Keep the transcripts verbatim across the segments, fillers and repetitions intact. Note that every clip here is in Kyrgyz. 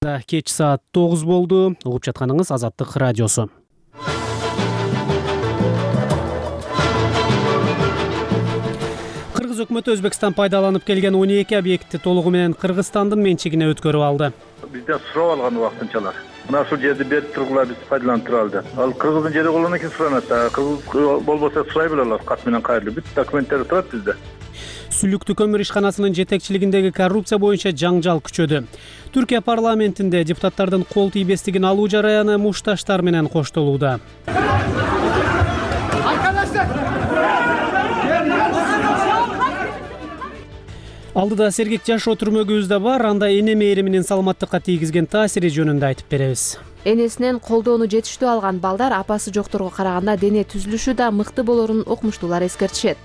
Алматыда кеч саат тогуз болду. Угуп жатканыңыз Азаттык радиосу. Кыргыз өкмөтү Өзбекстан пайдаланып келген он эки объектти толугу менен Кыргызстандын менчигине өткөрүп алды. Бизден сурап алган убактынчалар. Мына ушул жерди берип тургула, биз пайдаланып туралды. Ал Кыргыздын жери болгондон кийин суранат. Кыргыз болбосо сурай белелер, кат менен кайрылып. Бүт документтери турат бизде. Сүлүктүү көмүр ишканасынын жетекчилигиндеги коррупция боюнча жаңжал күчөдү. Түркия парламентинде депутаттардын кол тийбестигин алуу жараяны мушташтар менен коштолууда. Алдыда сергек жашоо түрмөгүбүз да бар, анда эне мээриминин саламаттыкка тийгизген таасири жөнүндө айтып беребиз. Энесинен колдоону жетиштүү алган балдар апасы жокторго караганда дене түзүлүшү да мыкты болорун окумуштуулар эскертишет.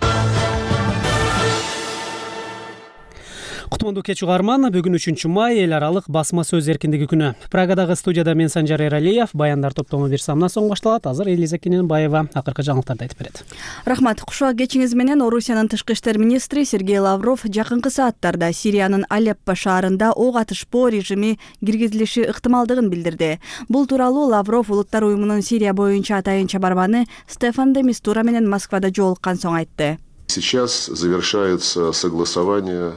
Кутмандуу кеч угарман, бүгүн үчүнчү май, эл аралык басма сөз эркиндиги күнү. Прагадагы студияда мен Санжар Эралиев, баяндар топтому бир самна соң башталат. Азыр Элиза Кененбаева акыркы жаңылыктарды айтып берет. Рахмат. Кушак кечиңиз менен Орусиянын тышкы иштер министри Сергей Лавров жакынкы сааттарда Сириянын Алеппо шаарында ок атышпоо режими киргизилиши ыктымалдыгын билдирди. Бул тууралуу Лавров Улуттар уюмунун Сирия боюнча атайын чабарманы Стефан де Мистура менен Москвада жолуккан соң айтты. Сейчас завершается согласование.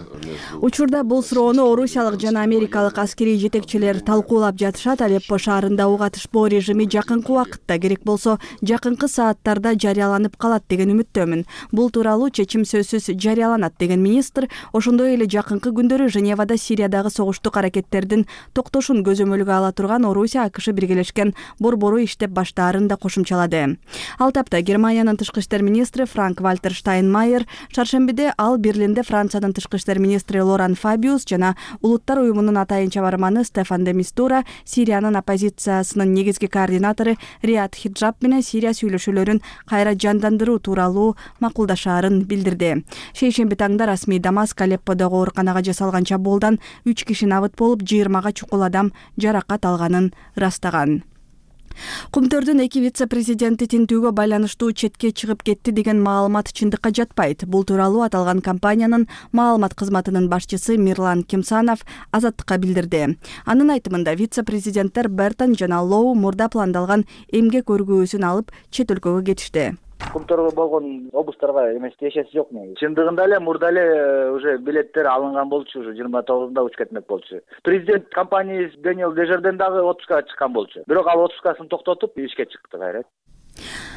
Учурда бул суроону орусиялык жана америкалык аскерий жетекчилер талкуулап жатышат. Алеппо шаарында ок атышпоо режими жакынкы убакытта, керек болсо жакынкы сааттарда жарыяланып калат деген үмүттөмүн. Бул тууралуу чечим сөзсүз жарыяланат деген министр ошондой эле жакынкы күндөрү Женевада Сириядагы согуштук аракеттердин токтошун көзөмөлгө ала турган Орусия АКШ биргелешкен борбору иштеп баштаарын да кошумчалады. Ал тапта Германиянын тышкы иштер министри Франк Вальтер Штайнмайер шаршембиде ал Берлинде Франциянын тышкы иштер министри Лоран Фабиус жана Улуттар уюмунун атайын чабарманы Стефан де Мистура, Сириянын оппозициясынын негизги координатору Риат Хиджаб менен Сирия сүйлөшүүлөрүн кайра жандандыруу тууралуу макулдашаарын билдирди. Шейшемби таңда расмий Дамаск Алепподогу ооруканага жасалган чабуулдан үч киши набыт болуп, жыйырмага чукул адам жаракат алганын ырастаган. Кумтөрдүн эки вице-президенти тинтүүгө байланыштуу четке чыгып кетти деген маалымат чындыкка жатпайт. Бул тууралуу аталган компаниянын маалымат кызматынын башчысы Мирлан Кимсанов Азаттыкка билдирди. Анын айтымында вице-президенттер Бертон жана Лоу мурда пландалган эмгек өргүүсүн алып чет өлкөгө кетишти. Кумтөргө болгон обустарга эмеске эшеси жок негизи. Чындыгында эле мурда эле уже билеттер алынган болчу, уже жыйырма тогузунда учуп кетмек болчу. Президент компаниясы Даниэл Дежарден дагы отпускага чыккан болчу. Бирок ал отпускасын токтотуп ишке чыкты кайра.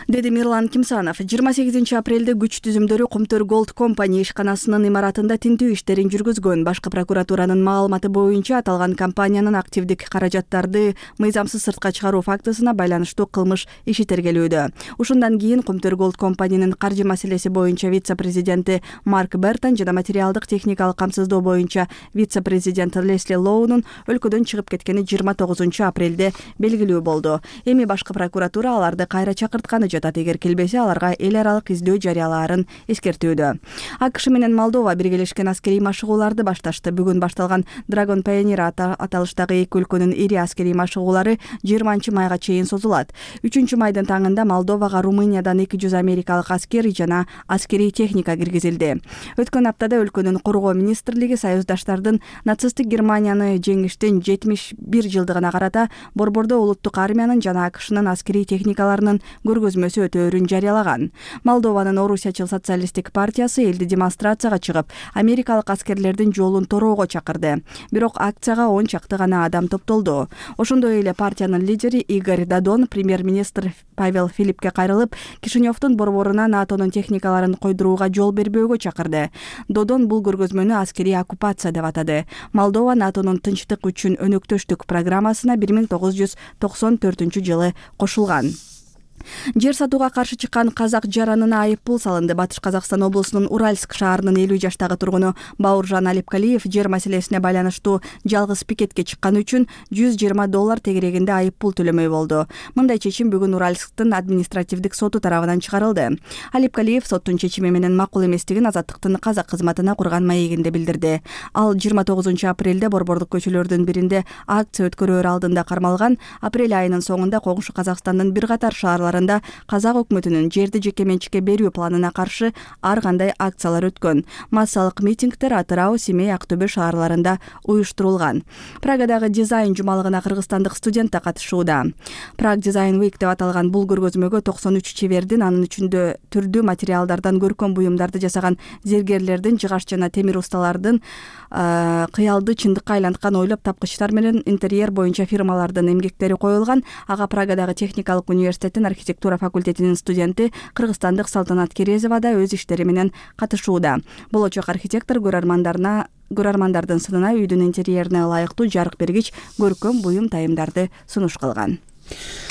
Деди Мирлан Кимсанов. жыйырма сегизинчи апрелде күч түзүмдөрү Кумтөр Голд компания ишканасынын имаратында тинтүү иштерин жүргүзгөн. Башкы прокуратуранын маалыматы боюнча аталган компаниянын активдик каражаттарды мыйзамсыз сыртка чыгаруу фактысына байланыштуу кылмыш иши тергелүүдө. Ушундан кийин Кумтөр Голд компаниянын каржы маселеси боюнча вице-президенти Марк Бертон жана материалдык техникалык камсыздоо боюнча вице-президент Лесли Лоунун өлкөдөн чыгып кеткени жыйырма тогузунчу апрелде белгилүү болду. Эми башкы прокуратура аларды кайра чакыртканы жатат. Эгер келбесе, аларга эл аралык издөө жарыялаарын эскертүүдө. АКШ менен Молдова биргелешкен аскерий машыгууларды башташты. Бүгүн башталган Dragon Pioneer аталыштагы эки өлкөнүн ири аскерий машыгуулары жыйырманчы майга чейин созулат. үчүнчү майдын таңында Молдовага Румыниядан эки жүз америкалык аскер жана аскерий техника киргизилди. Өткөн аптада өлкөнүн коргоо министрлиги союздаштардын нацисттик Германияны жеңиштин жетимиш бир жылдыгына карата борбордо улуттук армиянын жана АКШнын аскерий техникаларынын көргөзмөсү өтөөрүн жарыялаган. Молдованын Орусиячыл социалисттик партиясы элди демонстрацияга чыгып, америкалык аскерлердин жолун тороого чакырды. Бирок акцияга он чакты гана адам топтолду. Ошондой эле партиянын лидери Игорь Додон премьер-министр Павел Филиппке кайрылып, Кишиневдун борборуна НАТОнун техникаларын койдурууга жол бербөөгө чакырды. Додон бул көргөзмөнү аскерий оккупация деп атады. Молдова НАТОнун тынчтык үчүн өнөктөштүк программасына бир миң тогуз жүз токсон төртүнчү жылы кошулган. Жер сатууга каршы чыккан казак жаранына айып пул салынды. Батыш Казакстан облусунун Уральск шаарынын элүү жаштагы тургуну Бауыржан Алипкалиев жер маселесине байланыштуу жалгыз пикетке чыкканы үчүн жүз жыйырма доллар тегерегинде айып пул төлөмөй болду. Мындай чечим бүгүн Уральсктын административдик соту тарабынан чыгарылды. Алипкалиев соттун чечими менен макул эместигин Азаттыктын казак кызматына курган маегинде билдирди. Ал жыйырма тогузунчу апрелде борбордук көчөлөрдүн биринде акция өткөрөөр алдында кармалган. Апрель айынын соңунда коңшу Казакстандын бир катар шаарлар чараларында казак өкмөтүнүн жерди жеке менчикке берүү планына каршы ар кандай акциялар өткөн. Массалык митингдер Атырау, Семей, Актөбө шаарларында уюштурулган. Прагадагы дизайн жумалыгына кыргызстандык студент да катышууда. Prague Design Week деп аталган бул көргөзмөгө токсон үч чебердин, анын ичинде түрдүү материалдардан көркөм буюмдарды жасаган зергерлердин, жыгач жана темир усталардын, кыялды чындыкка айланткан ойлоп тапкычтар менен интерьер боюнча фирмалардын эмгектери коюлган. Ага Прагадагы техникалык университеттин архитектура факультетинин студенти кыргызстандык Салтанат Керезова да өз иштери менен катышууда. Болочок архитектор көрөрмандарына көрөрмандардын сынына үйдүн интерьерине ылайыктуу жарык бергич көркөм буюм тайымдарды сунуш кылган.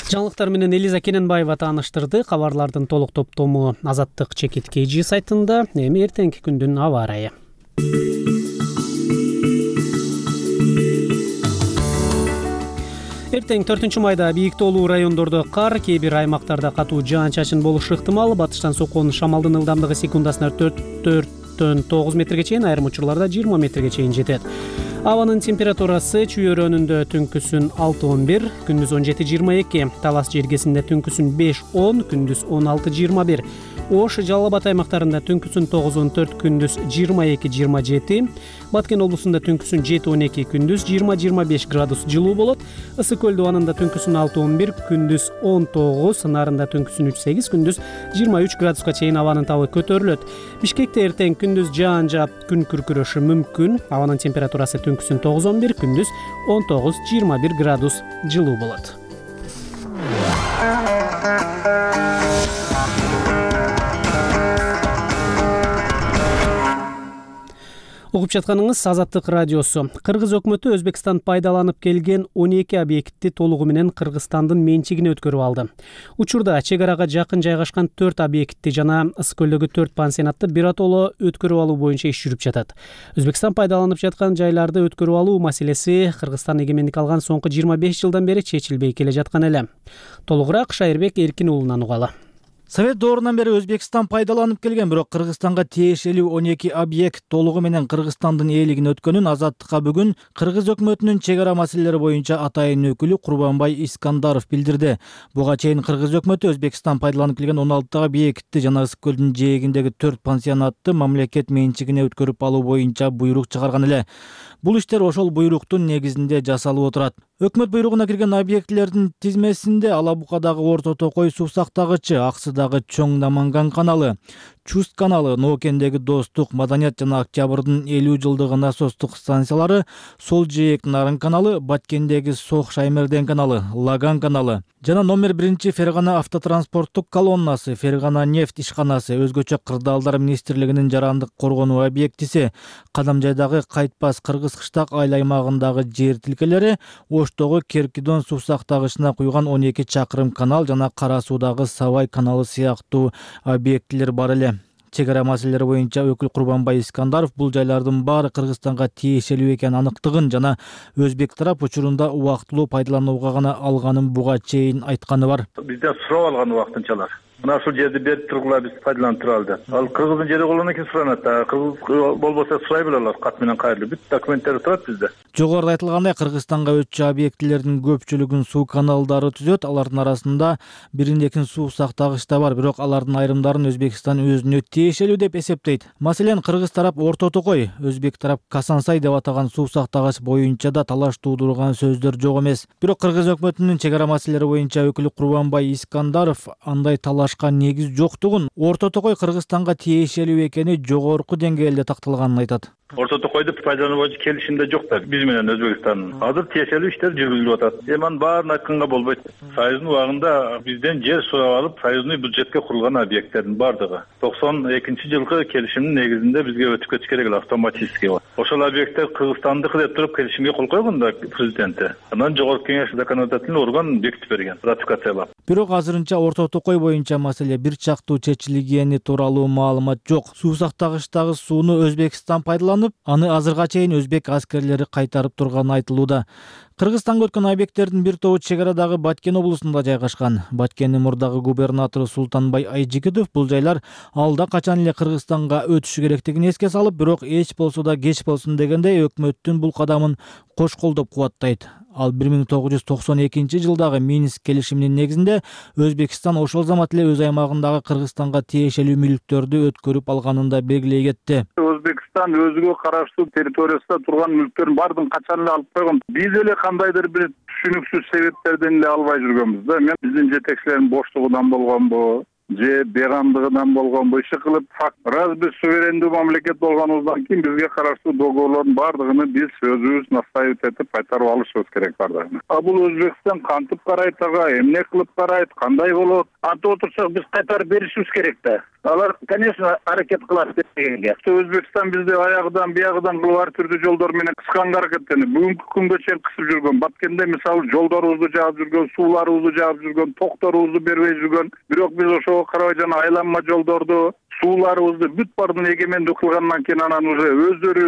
Жаңылыктар менен Элиза Кененбаева тааныштырды. Кабарлардын толук топтому Азаттык Чекит кей жи сайтында. Эми эртеңки күндүн аба ырайы. Эртең төртүнчү майда бийик тоолуу райондордо кар, кээ бир аймактарда катуу жаан-чачын болушу ыктымал. Батыштан соккон шамалдын ылдамдыгы секундасына төрттөн тогуз метрге чейин, айрым учурларда жыйырма метрге чейин жетет. Абанын температурасы чүйөрөнүндө түнкүсүн алты он бир, күндүз он жети жыйырма эки, Талас жергесинде түнкүсүн беш он, күндүз он алты жыйырма бир. Ош, Жалал Абад аймактарында түнкүсүн тогуз он төрт, күндүз жыйырма эки жыйырма жети. Баткен облусунда түнкүсүн жети он эки, күндүз жыйырма жыйырма беш градус жылуу болот. Ысык көл дубанында түнкүсүн алты он бир, күндүз он тогуз, Нарында түнкүсүн үч сегиз, күндүз жыйырма үч градуска чейин абанын табы көтөрүлөт. Бишкекте эртең күндүз жаан жаап, күн күркүрөшү мүмкүн. Абанын температурасы түнкүсүн тогуз он бир, күндүз он тогуз жыйырма бир градус жылуу болот. Угуп жатканыңыз Азаттык радиосу. Кыргыз өкмөтү Өзбекстан пайдаланып келген он эки объектти толугу менен Кыргызстандын менчигине өткөрүп алды. Учурда чек арага жакын жайгашкан төрт объектти жана Ысык көлдөгү төрт пансионатты биротоло өткөрүп алуу боюнча иш жүрүп жатат. Өзбекстан пайдаланып жаткан жайларды өткөрүп алуу маселеси Кыргызстан эгемендик алган соңку жыйырма беш жылдан бери чечилбей келе жаткан эле. Толугураак Шайырбек Эркин уулунан угалы. Совет доорунан бери Өзбекстан пайдаланып келген, бирок Кыргызстанга тиешелүү он эки объект толугу менен Кыргызстандын ээлигине өткөнүн Азаттыкка бүгүн Кыргыз өкмөтүнүн чек ара маселелери боюнча атайын өкүлү Курбанбай Искандаров билдирди. Буга чейин Кыргыз өкмөтү Өзбекстан пайдаланып келген он алты объектти жана Ысык көлдүн жээгиндеги төрт пансионатты мамлекет менчигине өткөрүп алуу боюнча буйрук чыгарган эле. Бул иштер ошол буйруктун негизинде жасалып отурат. Өкмөт буйругуна кирген объектилердин тизмесинде Ала Букадагы Орто Токой суу сактагычы, Аксыдагы Чоң Наманган каналы, Чуст каналы, Ноокендеги Достук, Маданият жана Октябрдын элүү жылдыгы насостук станциялары, Сол Жээк Нарын каналы, Баткендеги Сох Шаймерден каналы, Лаган каналы жана номер биринчи Фергана автотранспорттук колоннасы, Фергана нефть ишканасы, өзгөчө Кырдаалдар министрлигинин жарандык коргонуу объектиси, Кадамжайдагы Кайтпас Кыргыз кыштак айыл аймагындагы жер тилкелери, Оштогу Керкидон суу сактагычына куйган он эки чакырым канал жана Кара Суудагы Сабай каналы сыяктуу объектилер бар эле. Чек ара маселелери боюнча өкүл Курбанбай Искандаров бул жайлардын баары Кыргызстанга тиешелүү экенин аныктыгын жана өзбек тарап учурунда убактылуу пайдаланууга гана алганын буга чейин айтканы бар. Бизден сурап алган убактынчалар. Мына ушул жерди берип тургула, биз пайдаланып тура алдык. Ал кыргыздын жери болгондон кийин суранат. Кыргыз болбосо сурай беле кат менен кайрылып. Бүт документтери турат бизде. Жогоруда айтылгандай, Кыргызстанга өтчү объектилердин көпчүлүгүн суу каналдары түзөт. Алардын арасында бирин-экин суу сактагыч да бар, бирок алардын айрымдарын Өзбекстан өзүнө тиешелүү деп эсептейт. Маселен, кыргыз тарап Орто Токой, өзбек тарап Касансай деп атаган суу сактагыч боюнча да талаш туудурган сөздөр жок эмес. Бирок Кыргыз өкмөтүнүн чек ара маселелери боюнча өкүлү Курбанбай Искандаров андай талаш негиз жоктугун, Орто Токой Кыргызстанга тиешелүү экени жогорку деңгээлде такталганын айтат. Орто Токойду пайдалануу боюнча келишимде жок да биз менен Өзбекстандын. Азыр тиешелүү иштер жүргүзүлүп атат. Эми анын баарын айтканга болбойт. Союздун убагында бизден жер сурап алып, союзный бюджетке курулган объекттердин бардыгы токсон экинчи жылкы келишимдин негизинде бизге өтүп кетиш керек эле автоматически. Ошол объекттер Кыргызстандыкы деп туруп келишимге кол койгон да президенти. Анан жогорку кеңеш законодательный орган бекитип берген, ратификациялап. Бирок азырынча Орто Токой боюнча маселе бир чактуу чечилгени тууралуу маалымат жок. Суу сактагычтагы сууну Өзбекстан пайдаланып, аны азырга чейин өзбек аскерлери кайтарып турганы айтылууда. Кыргызстанга өткөн объекттердин бир тобу чек арадагы Баткен облусунда жайгашкан. Баткендин мурдагы губернатору Султанбай Айжигитов бул жайлар алда качан эле Кыргызстанга өтүшү керектигин эске салып, бирок эч болсо да кеч болсун дегендей өкмөттүн бул кадамын кош колдоп кубаттайт. Ал бир миң тогуз жүз токсон экинчи жылдагы Минск келишиминин негизинде Өзбекстан ошол замат эле өз аймагындагы Кыргызстанга тиешелүү мүлктөрдү өткөрүп алганын да белгилей кетти. Өзбекстан өзүгө караштуу территориясында турган мүлктөрдүн баардыгын качан эле алып койгон. Биз эле кандайдыр бир түшүнүксүз себептерден эле албай жүргөнбүз да. Мен биздин жетекчилердин боштугунан болгонбу же бейгамдыгынан болгонбу иши кылып факт. Раз биз суверендүү мамлекет болгонубуздан кийин бизге караштуу договорлордун баардыгын биз өзүбүз настаивать этип кайтарып алышыбыз керек баардыгын. А бул Өзбекстан кантип карайт ага, эмне кылып карайт, кандай болот? Антип отурсак биз кайтарып беришибиз керек да. Алар, конечно, аракет кылат дегенге. Өзбекстан бизди аягыдан биягыдан кылып ар түрдүү жолдор менен кысканга аракеттенип, бүгүнкү күнгө чейин кысып жүргөн. Баткенде мисалы жолдорубузду жаап жүргөн, сууларыбызды жаап жүргөн, токторубузду бербей жүргөн. Бирок биз ошого карабай айланма жолдорду, сууларыбызды бүт баардыгын эгемендүү кылгандан кийин анан уже өздөрү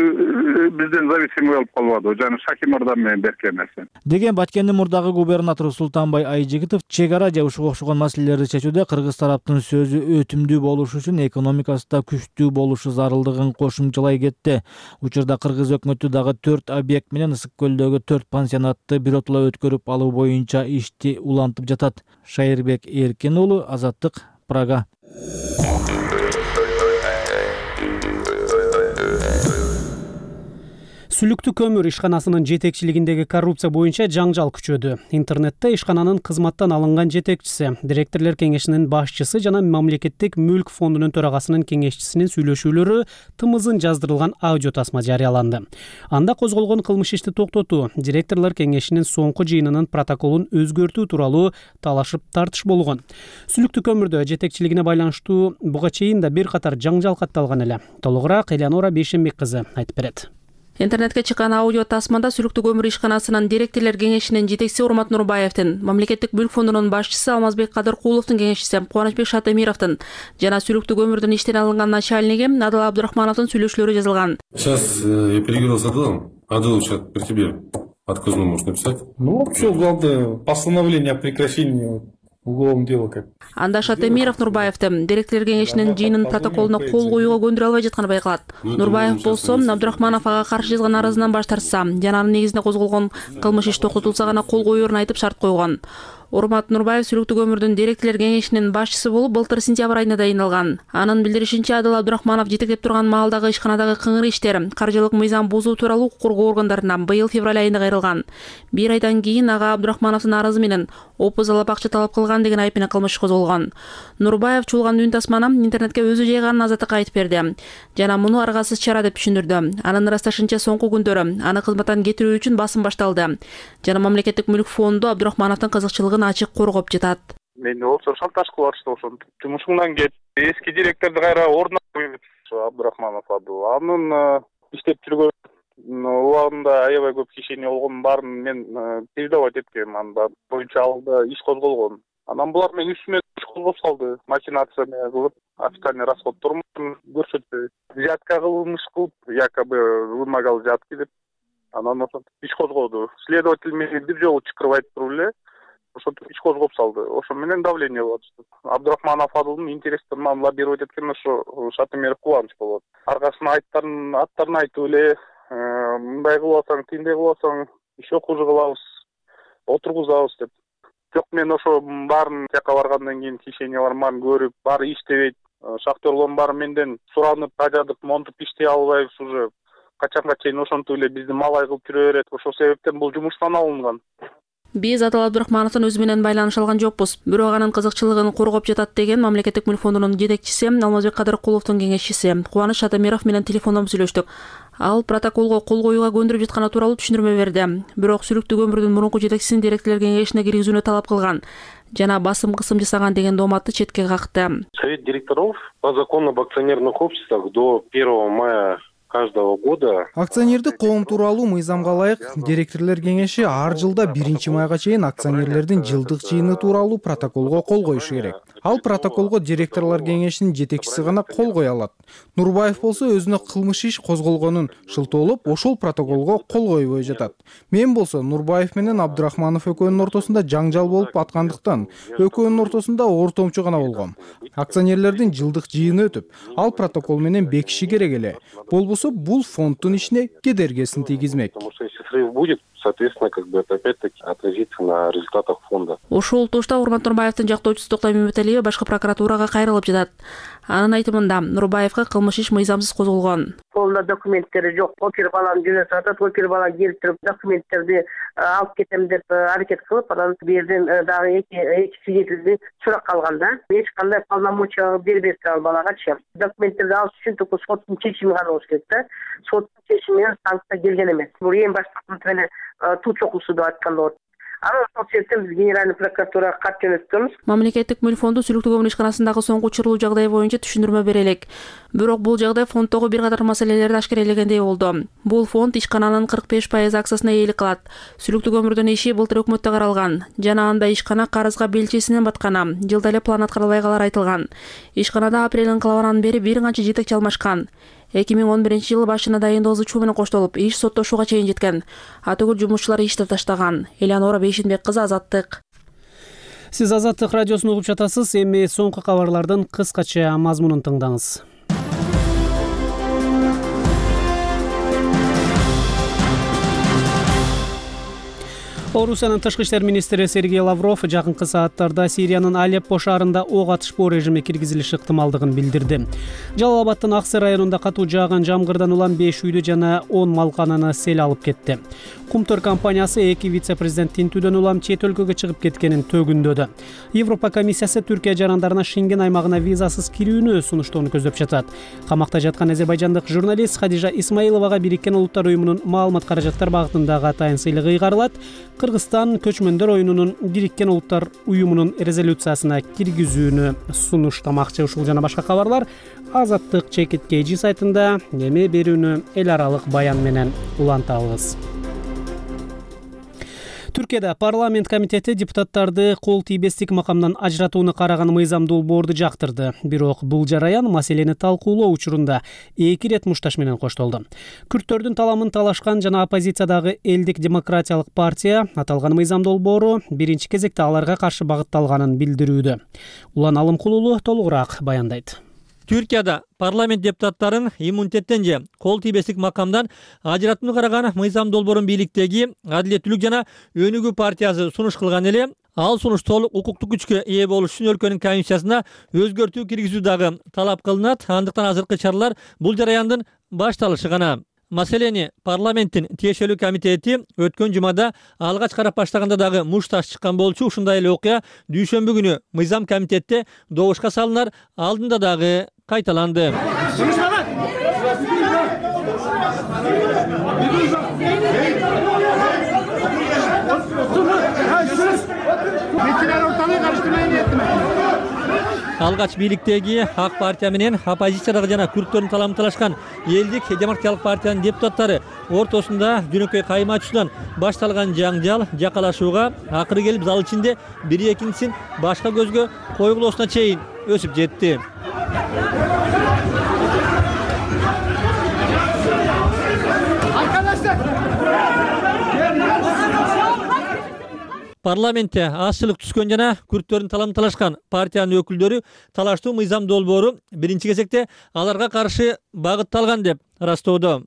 бизден зависимый болуп калбады. Жана Шаки Мырза менен беркен нерсе. Деген Баткендин мурдагы губернатору Султанбай Айжигитов чек ара же ушуга окшогон маселелерди чечүүдө кыргыз тараптын сөзү өтүмдүү болушу үчүн экономикасы да күчтүү болушу зарылдыгын кошумчалай кетти. Учурда кыргыз өкмөтү дагы төрт объект менен Ысык көлдөгү төрт пансионатты биротоло өткөрүп алуу боюнча ишти улантып жатат. Шайырбек Эркин уулу, Азаттык, Прага. Сүлүктүү көмүр ишканасынын жетекчилигиндеги коррупция боюнча жаңжал күчөдү. Интернетте ишкананын кызматтан алынган жетекчиси, директорлор кеңешинин башчысы жана мамлекеттик мүлк фондунун төрагасынын кеңешчисинин сүйлөшүүлөрү тымызын жаздырылган аудио тасма жарыяланды. Анда козголгон кылмыш ишти токтотуу, директорлор кеңешинин соңку жыйынынын протоколун өзгөртүү тууралуу талашып тартыш болгон. Сүлүктүү көмүрдө жетекчилигине байланыштуу буга чейин да бир катар жаңжал катталган эле. Толугураак Элеонора Бейшенбек кызы айтып берет. Интернетке чыккан аудио тасмада Сүлүктүү көмүр ишканасынын директорлор кеңешинин жетекчиси Урмат Нурбаевдин, мамлекеттик мүлк фондунун башчысы Алмазбек Кадыркуловдун кеңешчиси Кубанычбек Шатемировдун жана Сүлүктүү көмүрдүн иштен алынган начальниги Адыл Абдурахмановдун сүйлөшүүлөрү жазылган. Сейчас я переговорил с Адылом. Адыл, сейчас при тебе отказную можешь написать? Ну, все, главное, постановление о прекращении уголовного дела как. Анда Шатемиров Нурбаевди директорлор кеңешинин жыйынынын протоколуна кол коюуга көндүрө албай жатканы байкалат. Нурбаев болсо Абдурахманов ага каршы жазган арызынан баш тартса, жана анын негизинде козголгон кылмыш иш токтотулса гана кол коерун айтып шарт койгон. Урмат Нурбаев Сүлүктүү көмүрдүн директорлор кеңешинин башчысы болуп былтыр сентябрь айында дайындалган. Анын билдиришинче, Адыл Абдурахманов жетектеп турган маалдагы ишканадагы кыңыр иштер, каржылык мыйзам бузуу тууралуу укук коргоо органдарынан быйыл февраль айында кайрылган. Бир айдан кийин ага Абдурахмановдун арызы менен опу залап акча талап кылган деген айып менен кылмыш козголгон. Нурбаев чуулган үн тасманы интернетке өзү жайганын Азаттыкка айтып берди. Жана муну аргасыз чара деп түшүндүрдү. Анын ырасташынча соңку күндөрү аны кызматтан кетирүү үчүн басым башталды. Жана мамлекеттик мүлк фонду Абдурахмановдун кызыкчылыгын ачык коргоп жатат. Мен болсо шантаж кылышты ошон. Жумушуңдан кет. Эски директорду кайра ордуна коюп Абдурахманов абыл. Анын иштеп жүргөн убагында аябай көп кишени болгон баарын мен передавать эткем. Анда боюнча алда иш козголгон. Анан булар мен үстүмө иш козгоп салды. Махинация кылып, официальный расходдорун көрсөтпөй. Взятка кылмыш кылып, якобы вымогал взятки деп. Анан ошентип иш козгоду. Следователь мени бир жолу чакырып айтып туруп эле ошентип иш козгоп салды. Ошо менен давление болот. Абдурахманов Адылдын интерестерин мага лоббировать эткен ошо Шатемиров Кубаныч болот. Аркасына айттарын аттарын айтып эле, мындай кылып атсаң, тиндей кылып атсаң, еще хуже кылабыз, отургузабыз деп. Жок, мен ошо баарын жака баргандан кийин кишенияларын баарын көрүп, баары иштебейт. Шахтерлордун баары менден суранып, ажадык, монтуп иштей албайбыз уже. Качанга чейин ошентип эле бизди малай кылып жүрө берет. Ошол себептен бул жумуштан алынган. Биз Адыл Абдурахмановдун өзү менен байланыша алган жокпуз. Бирок анын кызыкчылыгын коргоп жатат деген мамлекеттик мүлк фондунун жетекчиси Алмазбек Кадыркуловдун кеңешчиси Кубаныч Шатемиров менен телефондон сүйлөштүк. Ал протоколго кол коюуга көндүрүп жатканы тууралуу түшүндүрмө берди. Бирок Сүлүктүү көмүрдүн мурунку жетекчисин директорлор кеңешине киргизүүнү талап кылган жана басым кысым жасаган деген дооматты четке какты. Совет директоров по закону об акционерных обществах до первого мая каждого года. Акционердик коом тууралуу мыйзамга ылайык директорлор кеңеши ар жылда биринчи майга чейин акционерлердин жылдык жыйыны тууралуу протоколго кол коюшу керек. Ал протоколго директорлор кеңешинин жетекчиси гана кол коё алат. Нурбаев болсо өзүнө кылмыш иш козголгонун шылтоолоп, ошол протоколго кол койбой жатат. Мен болсо Нурбаев менен Абдурахманов экөөнүн ортосунда жаңжал болуп аткандыктан экөөнүн ортосунда ортомчу гана болгом. Акционерлердин жылдык жыйыны өтүп, ал протокол менен бекиши керек эле. Болбосо бул фонддун ишине кедергисин тийгизмек. Потому что если срыв будет, соответственно, как бы это опять-таки отразится на результатах фонда. Ушул тушта Урмат Нурбаевдин жактоочусу Токтой Мөмөталиева башкы прокуратурага кайрылып жатат. Анын айтымында Нурбаевга кылмыш иш мыйзамсыз козголгон. Колунда документтери жок. Опер баланы жөнөтүп атат. Опер бала келип туруп документтерди алып кетем деп аракет кылып, анан бу жерден дагы эки эки свидетельди суракка алган да. Эч кандай полномочия бербепти ал балагачы. Документтерди алыш үчүн только соттун чечими гана болуш керек да. Соттун чечими менен санкция келген эмес. Бул эң башкы менен туу чокусу деп айтканда болот. Анан ошол себептен биз генеральный прокуратурага кат жөнөттүбүз. Мамлекеттик мүлк фонду Сүлүктүү көмүр ишканасындагы соңку учурлуу жагдай боюнча түшүндүрмө бере элек. Бирок бул жагдай фонддогу бир катар маселелерди ашкерелегендей болду. Бул фонд ишкананын кырк беш пайыз акциясына ээлик кылат. Сүлүктүү көмүрдүн иши былтыр өкмөттө каралган. Жана анда ишкана карызга белчесинен баткан. Жылда эле план аткарылбай калары айтылган. Ишканада апрель инкылабынан бери бир канча жетекчи алмашкан. эки миң он биринчи жылы башына дайындоо ызычуу менен коштолуп, иш соттошууга чейин жеткен. Атөгүл жумушчулар ишти таштаган. Элеонора Бейшенбек кызы, Азаттык. Сиз Азаттык радиосун угуп жатасыз. Эми соңку кабарлардын кыскача мазмунун тыңдаңыз. Орусиянын тышкы иштер министри Сергей Лавров жакынкы сааттарда Сириянын Алеппо шаарында ок атышпоо режими киргизилиши ыктымалдыгын билдирди. Жалал Абадтын Аксы районунда катуу жааган жамгырдан улам беш үйдү жана он малкананы сел алып кетти. Кумтөр компаниясы эки вице-президент тинтүүдөн улам чет өлкөгө чыгып кеткенин төгүндөдү. Европа комиссиясы Түркия жарандарына Шенген аймагына визасыз кирүүнү сунуштоону көздөп жатат. Камакта жаткан азербайжандык журналист Хадижа Исмаиловага Бириккен Улуттар уюмунун маалымат каражаттар багытындагы атайын сыйлыгы ыйгарылат. Кыргызстан көчмөндөр оюнунун Бириккен Улуттар уюмунун резолюциясына киргизүүнү сунуштамакчы. Ушул жана башка кабарлар Азаттык Чекит Кейжи сайтында. Эми берүүнү эл аралык баян менен улантабыз. Түркияда парламент комитети депутаттарды кол тийбестик макамдан ажыратууну караган мыйзам долбоорду жактырды. Бирок бул жараян маселени талкуулоо учурунда эки ирет мушташ менен коштолду. Күрттөрдүн таламын талашкан жана оппозициядагы Элдик демократиялык партия аталган мыйзам долбоору биринчи кезекте аларга каршы багытталганын билдирүүдө. Улан Алымкулулу толугураак баяндайт. Түркияда парламент депутаттарын иммунитеттен же кол тийбестик макамдан ажыратууну караган мыйзам долбоорун бийликтеги Адилеттүүлүк жана Өнүгүү партиясы сунуш кылган эле. Ал сунуш толук укуктук күчкө ээ болуш үчүн өлкөнүн конституциясына өзгөртүү киргизүү дагы талап кылынат. Андыктан азыркы чаралар бул жараяндын башталышы гана. Маселени парламенттин тиешелүү комитети өткөн жумада алгач карап баштаганда дагы мушташ чыккан болчу. Ушундай эле окуя дүйшөмбү күнү мыйзам комитетте добушка салынар алдында дагы кайталанды. Алгач бийликтеги Ак партия менен оппозициядагы жана күрттөрдүн таламын талашкан Элдик демократиялык партиянын депутаттары ортосунда жөнөкөй кайма ачуудан башталган жаңжал жакалашууга акыры келип зал ичинде бири экинчисин башка көзгө койгулоосуна чейин өсүп жетти. Парламентте азчылык түскөн жана күрттөрдүн таламын талашкан партиянын өкүлдөрү талаштуу мыйзам долбоору биринчи кезекте аларга каршы багытталган деп ырастоодо.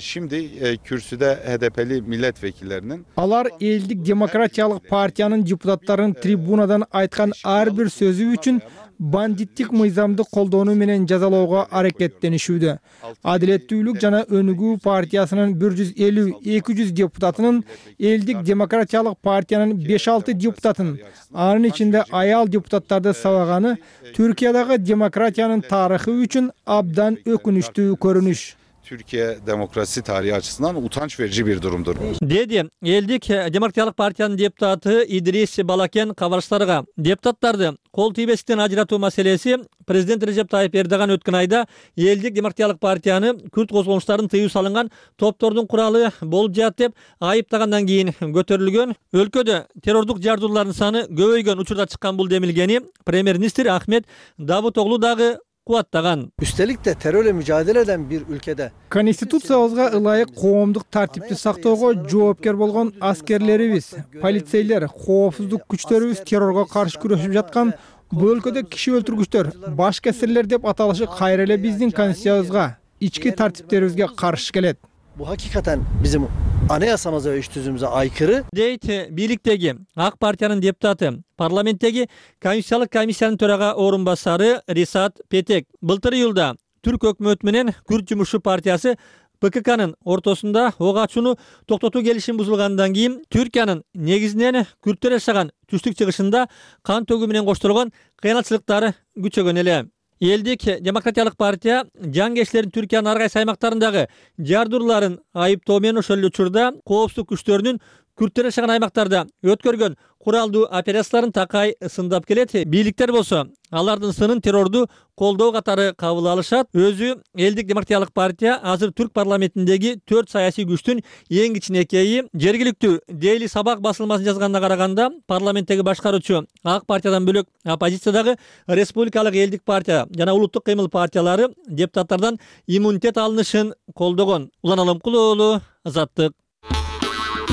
Şimdi kürsüde H D P'li milletvekillerinin Алар Элдик демократиялык партиянын депутаттарын трибунадан айткан ар бир сөзү үчүн бандиттик мыйзамды колдонуу менен жазалоого аракеттенишүүдө. Адилеттүүлүк жана Өнүгүү партиясынын бир жүз элүү эки жүз депутатынын Элдик демократиялык партиянын беш алты депутатын, анын ичинде аял депутаттарды сабаганы Түркиядагы демократиянын тарыхы үчүн абдан өкүнүчтүү көрүнүш. Türkiye demokrasi tarihi açısından utanç verici bir durumdur. Dedi Элдик демократиялык партиянын депутаты Идрис Балакен кабарчыларга. Депутаттарды кол тийбестиктен ажыратуу маселеси президент Режеп Тайып Эрдоган өткөн айда Элдик демократиялык партияны күрт козголуштарын тыюу салынган топтордун куралы болуп жатат деп айыптагандан кийин көтөрүлгөн. Өлкөдө террордук жардуулардын саны көбөйгөн учурда чыккан бул демилгени премьер-министр Ахмет Давутоглу дагы кубаттаган. Üstelik de terörle mücadele eden bir ülkede Konstitutsiyabызга ылайык коомдук тартипти сактоого жоопкер болгон аскерлерибиз, полицейлер, коопсуздук күчтөрүбүз террорго каршы күрөшүп жаткан бул өлкөдө киши өлтүргүчтөр, баш кесирлер деп аталышы кайра эле биздин конституциябызга, ички тартиптерибизге каршы келет. Bu hakikaten bizim аны ясамаса иш түзүүбүзгө айкыры дейт бийликтеги ак партиянын депутаты, парламенттеги конституциялык комиссиянын төрага орун басары Рисат Петек. Былтыр июлда Түрк өкмөтү менен Күрд жумушчу партиясы Пэ Ка К'нын ортосунда ок ачууну токтотуу келишим бузулгандан кийин Түркиянын негизинен күрттөр жашаган түштүк чыгышында кан төгүү менен коштолгон кыйынчылыктары күчөгөн эле. Элдик демократиялык партия жангечлерин Түркиянын ар кайсы аймактарындагы жардырларын айыптоо менен ошол эле учурда коопсуздук күчтөрүнүн күрттөр жашаган аймактарда өткөргөн куралдуу операцияларын такай сындап келет. Бийликтер болсо алардын сынын террорду колдоо катары кабыл алышат. Өзү Элдик демократиялык партия азыр Түрк парламентиндеги төрт саясий күчтүн эң кичинекейи. Жергиликтүү Дейли Сабак басылмасына жазганына караганда, парламенттеги башкаруучу ак партиядан бөлөк оппозициядагы республикалык Элдик партия жана улуттук кыймыл партиялары депутаттардан иммунитет алынышын колдогон. Улан Алымкулуу уулу, Азаттык.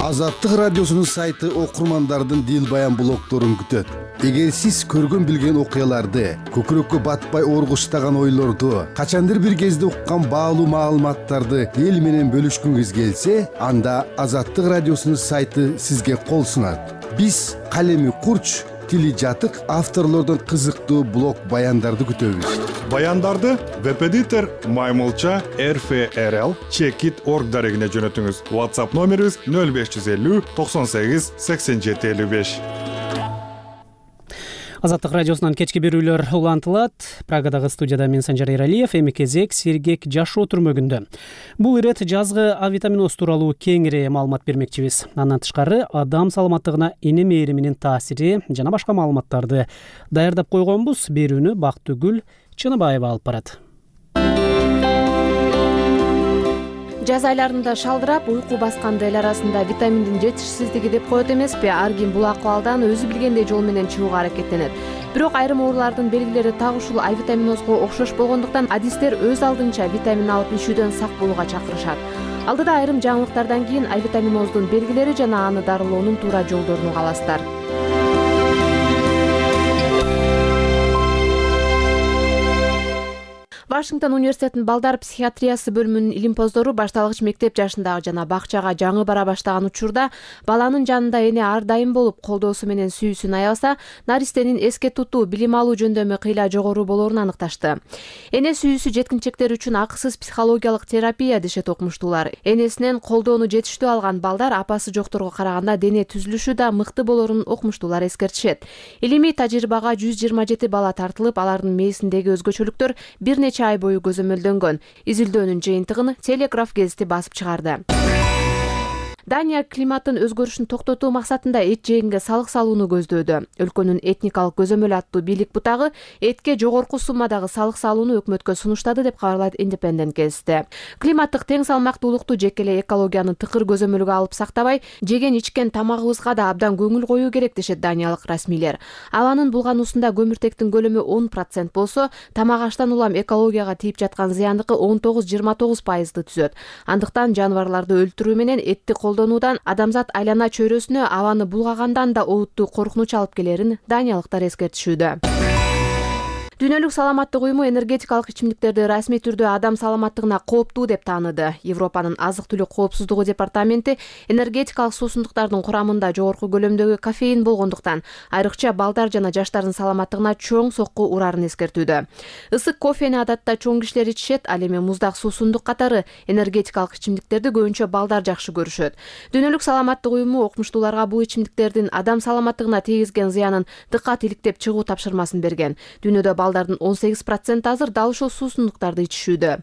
Азаттык радиосунун сайты окурмандардын дил баян блогторун күтөт. Эгер сиз көргөн билген окуяларды, көкүрөккө батпай оргуштаган ойлорду, качандыр бир кезде уккан баалуу маалыматтарды эл менен бөлүшкүңүз келсе, анда Азаттык радиосунун сайты сизге кол сунат. Биз калеми курч, тили жатык авторлордон кызыктуу блог баяндарды күтөбүз. Баяндарды веб-эдитор Маймылча эр эф эр эл чекит точка орг дарегине жөнөтүңүз. WhatsApp номерибиз нөл беш жүз элүү токсон сегиз сексен жети элүү беш. Азаттык радиосунан кечки берүүлөр улантылат. Прагадагы студияда мен Санжар Эралиев, эми кезек сергек жашоо түрмөгүндө. Бул ирет жазгы А витаминоз тууралуу кеңири маалымат бермекчибиз. Андан тышкары адам саламаттыгына эне мээриминин таасири жана башка маалыматтарды даярдап койгонбуз. Берүүнү Бактыгүл Чыныбаева алып барат. Жаз айларында шалдырап, уйку басканды эл арасында витаминдин жетишсиздиги деп коет эмеспи? Ар ким бул акыбалдан өзү билгендей жол менен чыгууга аракеттенет. Бирок айрым оорулардын белгилери так ушул А витаминозго окшош болгондуктан адистер өз алдынча витамин алып ичүүдөн сак болууга чакырышат. Алдыда айрым жаңылыктардан кийин А витаминоздун белгилери жана аны дарылоонун туура жолдорун угаласыздар. Вашингтон университетинин балдар психиатриясы бөлүмүнүн илимпоздору башталгыч мектеп жашындагы жана бакчага жаңы бара баштаган учурда баланын жанында эне ар дайым болуп, колдоосу менен сүйүүсүн аябаса, наристенин эске тутуу, билим алуу жөндөмү кыйла жогору болоорун аныкташты. Эне сүйүүсү жеткинчектер үчүн акысыз психологиялык терапия дешет окумуштуулар. Энесинен колдоону жетиштүү алган балдар апасы жокторго караганда дене түзүлүшү да мыкты болоорун окумуштуулар эскертишет. Илимий тажрыйбага жүз жыйырма жети бала тартылып, алардын мээсиндеги өзгөчөлүктөр бир нече ай бою көзөмөлдөнгөн. Изилдөөнүн жыйынтыгын Телеграф гезити басып чыгарды. Дания климаттын өзгөрүшүн токтотуу максатында эт жегенге салык салууну көздөөдө. Өлкөнүн этникалык көзөмөл аттуу бийлик бутагы этке жогорку суммадагы салык салууну өкмөткө сунуштады деп кабарлайт Independent гезити. Климаттык тең салмактуулукту жеке эле экологияны тыкыр көзөмөлгө алып сактабай, жеген ичкен тамагыбызга да абдан көңүл коюу керек дешет даниялык расмийлер. Абанын булгануусунда көмүртектин көлөмү он процент болсо, тамак аштан улам экологияга тийип жаткан зыяндыкы он тогуз жыйырма тогуз пайызды түзөт. Андыктан жаныбарларды өлтүрүү менен этти колдонуудан адамзат айлана чөйрөсүнө абаны булгагандан да олуттуу коркунуч алып келерин даниялыктар эскертишүүдө. Дүйнөлүк саламаттык уюму энергетикалык ичимдиктерди расмий түрдө адам саламаттыгына кооптуу деп тааныды. Европанын азык-түлүк коопсуздугу департаменти энергетикалык суусундуктардын курамында жогорку көлөмдөгү кофеин болгондуктан, айрыкча балдар жана жаштардын саламаттыгына чоң сокку урарын эскертүүдө. Ысык кофени адатта чоң кишилер ичишет, ал эми муздак суусундук катары энергетикалык ичимдиктерди көбүнчө балдар жакшы көрүшөт. Дүйнөлүк саламаттык уюму окумуштууларга бул ичимдиктердин адам саламаттыгына тийгизген зыянын дыккат иликтеп чыгуу тапшырмасын берген. Дүйнөдө балдардын он сегиз проценти азыр дал ушул суусундуктарды ичишүүдө.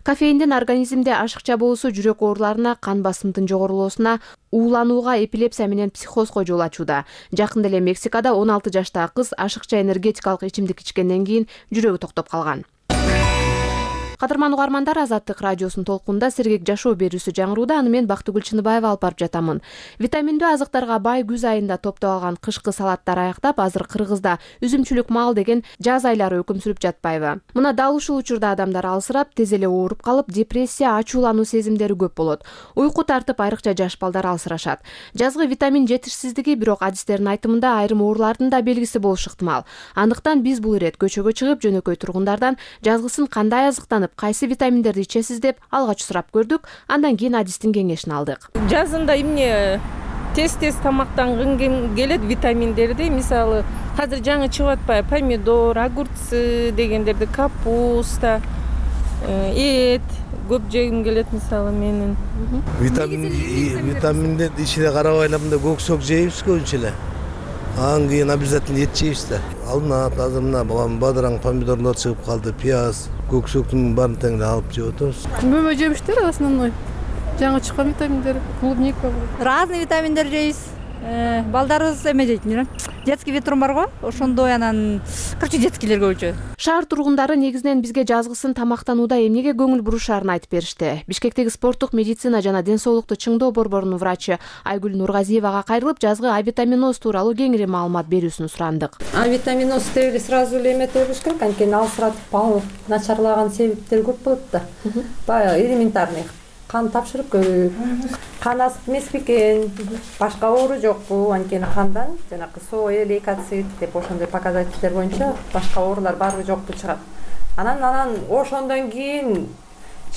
Кофеиндин организмде ашыкча болуусу жүрөк ооруларына, кан басымдын жогорулоосуна, ууланууга, эпилепсия менен психозго жол ачууда. Жакында эле Мексикада он алты жаштагы кыз ашыкча энергетикалык ичимдик ичкенден кийин жүрөгү токтоп калган. Кадырман угармандар, Азаттык радиосунун толкунда сергек жашоо берүүсү жаңырууда. Аны мен Бактыгүл Чыныбаева алып барып жатамын. Витаминдүү азыктарга бай күз айында топтоп алган кышкы салаттар аяктап, азыр Кыргызда үзүмчүлүк мал деген жаз айлары өкүм сүрүп жатпайбы? Мына дал ушул учурда адамдар алсырап, тез эле ооруп калып, депрессия, ачуулануу сезимдери көп болот. Уйку тартып, айрыкча жаш балдар алсырашат. Жазгы витамин жетишсиздиги бирок адистердин айтымында айрым оорулардын да белгиси болушу ыктымал. Андыктан биз бул ирет көчөгө чыгып, жөнөкөй тургундардан жазгысын кандай азыктанып, кайсы витаминдерди ичесиз деп алгач сурап көрдүк, андан кийин адистин кеңешин алдык. Жазында эмне тез-тез тамактангым келет витаминдерди, мисалы азыр жаңы чыгып атпайбы, помидор, огурцы дегендерди, капуста, эт көп жегим келет мисалы менин. Витамин витаминдерди ичине карабай эле мындай көксөк жейбиз көбүнчө эле. Анан кийин обязательно эт жейбиз да. Алынат, азыр мына бадыраң помидорлор чыгып калды, пияз, көксөктүн баарын тең эле алып жеп атабыз. Мөмө жемиштер основной. Жаңы чыккан витаминдер, клубника. Разный витаминдер жейбиз. Балдарыбыз эме жейт, детский ветрум бар го, ошондой анан короче детскийлер көбүнчө. Шаар тургундары негизинен бизге жазгысын тамактанууда эмнеге көңүл бурушаарын айтып беришти. Бишкектеги спорттук медицина жана ден соолукту чыңдоо борборунун врачы Айгүл Нургазиевага кайрылып, жазгы авитаминоз тууралуу кеңири маалымат берүүсүн сурандык. Авитаминоз деп эле сразу эле эметип коюш керек, анткени алсыратып начарлаган себептер көп болот да. Баягы элементарный кан тапшырып көрүү, кан асып эмес бекен, башка оору жокпу, анткени кандан жанагы соя, лейкоцит деп ошондой показательдер боюнча башка оорулар барбы жокпу чыгат. Анан анан ошондон кийин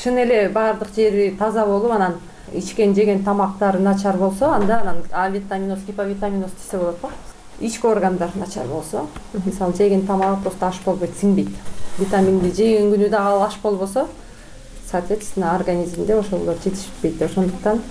чын эле баардык жери таза болуп, анан ичкен жеген тамактары начар болсо, анда анан авитаминоз, гиповитаминоз десе болот го. Ички органдар начар болсо, мисалы жеген тамагы просто аш болбойт, сиңбейт. Витаминди жеген күнү дагы ал аш болбосо, соответственно, организмде ошолор жетишпейт. Ошондуктан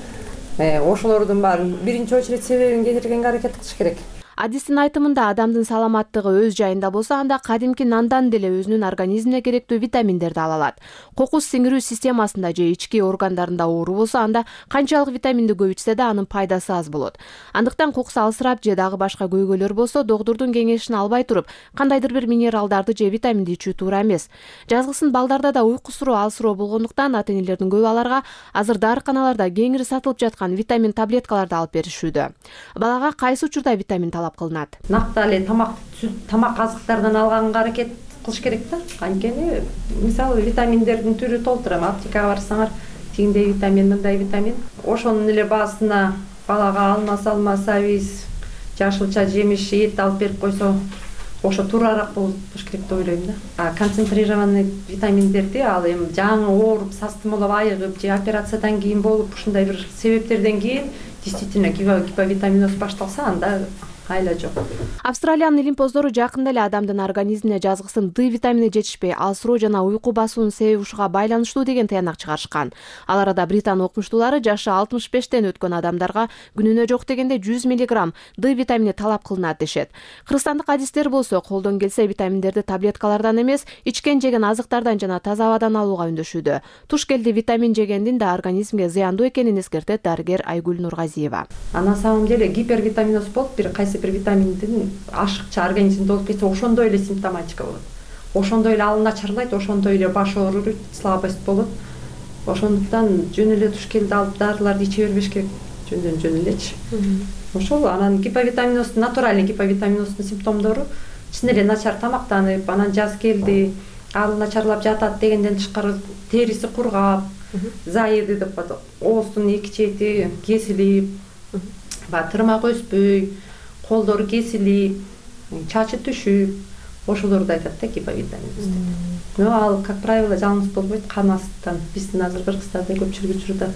ошолордун баарын биринчи очередь себебин кетиргенге аракет кылыш керек. Адистин айтымында адамдын саламаттыгы өз жайында болсо, анда кадимки нандан деле өзүнүн организмине керектүү витаминдерди ала алат. Кокус сиңирүү системасында же ички органдарында оору болсо, анда канчалык витаминди көп ичсе да анын пайдасы аз болот. Андыктан кокус алысырап же дагы башка көйгөйлөр болсо, доктурдун кеңешин албай туруп, кандайдыр бир минералдарды же витаминди ичүү туура эмес. Жазгысын балдарда да уйку суроо алсыроо болгондуктан ата-энелердин көбү аларга азыр дарыканаларда кеңири сатылып жаткан витамин таблеткаларды алып беришүүдө. Балага кайсы учурда витамин кылынат? Нактаа тамак тамак азыктардан алганга аракет кылыш керек да. Анткени мисалы витаминдердин түрү толтура. Аптекага барсаңар, тигиндей витамин, мындай витамин. Ошонун эле баасына балага алма, салма, сабиз, жашылча жемиш, эт алып берип койсо, ошо туурараак болуш керек деп ойлойм да. А концентрированный витаминдерди ал эми жаңы ооруп, састымалап айыгып же операциядан кийин болуп, ушундай бир себептерден кийин действительно гиповитаминоз башталса, анда айла жок. Австралиянын илимпоздору жакында эле адамдын организмине жазгысын Д витамини жетишпей, алсыроо жана уйку басуунун себеби ушуга байланыштуу деген таянак чыгарышкан. Ал арада Британ окумуштуулары жашы алтымыш бештен өткөн адамдарга күнүнө жок дегенде жүз миллиграмм Д витамини талап кылынат дешет. Кыргызстандык адистер болсо колдон келсе витаминдерди таблеткалардан эмес, ичкен жеген азыктардан жана таза абадан алууга үндөшүүдө. Туш келди витамин жегендин да организмге зыяндуу экенин эскертет дарыгер Айгүл Нургазиева. А на самом деле гипервитаминоз болуп, бир кайсы бир витаминдин ашыкча организмде болуп кетсе, ошондой эле симптоматика болот. Ошондой эле ал начарлайт, ошондой эле баш ооруйт, слабость болот. Ошондуктан жөн эле туш келди алып дарыларды иче бербеш керек, жөндөн жөн элечи. Ошол анан гиповитаминоз, натуральный гиповитаминоздун симптомдору чын эле начар тамактанып, анан жаз келди, ал начарлап жатат дегенден тышкары териси кургап, заеды деп коет, ооздун эки чети кесилип, баягы тырмак өспөй, колдору кесилип, чачы түшүп, ошолорду айтат да гиповитаминоз деп. Но ал, как правило, жалгыз болбойт, кан астынан. Биздин азыр Кыргызстанда көпчүлүк учурда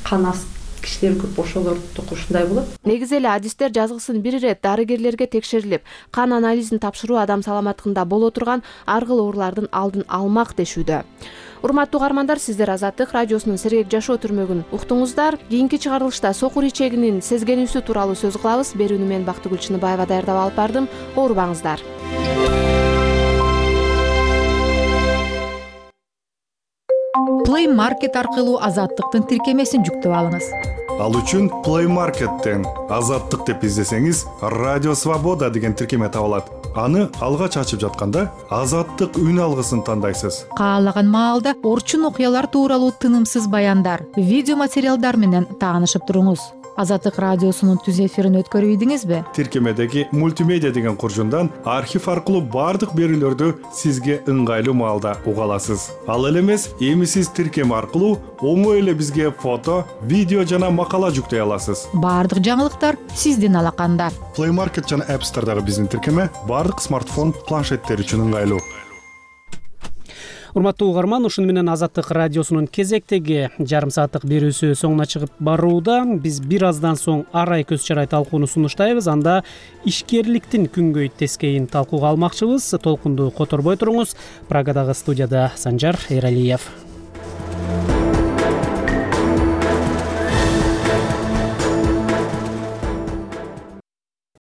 кан аст кишилер көп, ошолорду ушундай болот. Негизи эле адистер жазгысын бир ирет дарыгерлерге текшерилип, кан анализин тапшыруу адам саламаттыгында боло турган ар кыл оорулардын алдын алмак дешүүдө. Урматтуу угармандар, сиздер Азаттык радиосунун сергек жашоо түрмөгүн уктуңуздар. Кийинки чыгарылышта сокур ичегинин сезгенүүсү тууралуу сөз кылабыз. Берүүнү мен Бактыгүл Чыныбаева даярдап алып бардым. Оорубаңыздар. Play Market аркылуу Азаттыктын тиркемесин жүктөп алыңыз. Ал үчүн Play Market'тен Азаттык деп издесеңиз, Радио Свобода деген тиркеме табылат. Аны алгач ачып жатканда Азаттык үн алгысын тандайсыз. Каалаган маалда орчун окуялар тууралуу тынымсыз баяндар, видео материалдар менен таанышып туруңуз. Азаттык радиосунун түз эфирин өткөрүп ийдиңизби? Тиркемедеги мультимедиа деген куржундан архив аркылуу бардык берүүлөрдү сизге ыңгайлуу маалда уга аласыз. Ал эле эмес, эми сиз тиркеме аркылуу оңой эле бизге фото, видео жана макала жүктөй аласыз. Бардык жаңылыктар сиздин алаканда. Play Market жана App Store'дагы биздин тиркеме бардык смартфон, планшеттер үчүн ыңгайлуу. урматтуу угарман, ушуну менен Азаттык радиосунун кезектеги жарым сааттык берүүсү соңуна чыгып барууда. Биз бир аздан соң арай көз чарай талкууну сунуштайбыз. Анда ишкерликтин күнгөй тескейин талкууга алмакчыбыз. Толкунду которбой туруңуз. Прагадагы студияда Санжар Эралиев.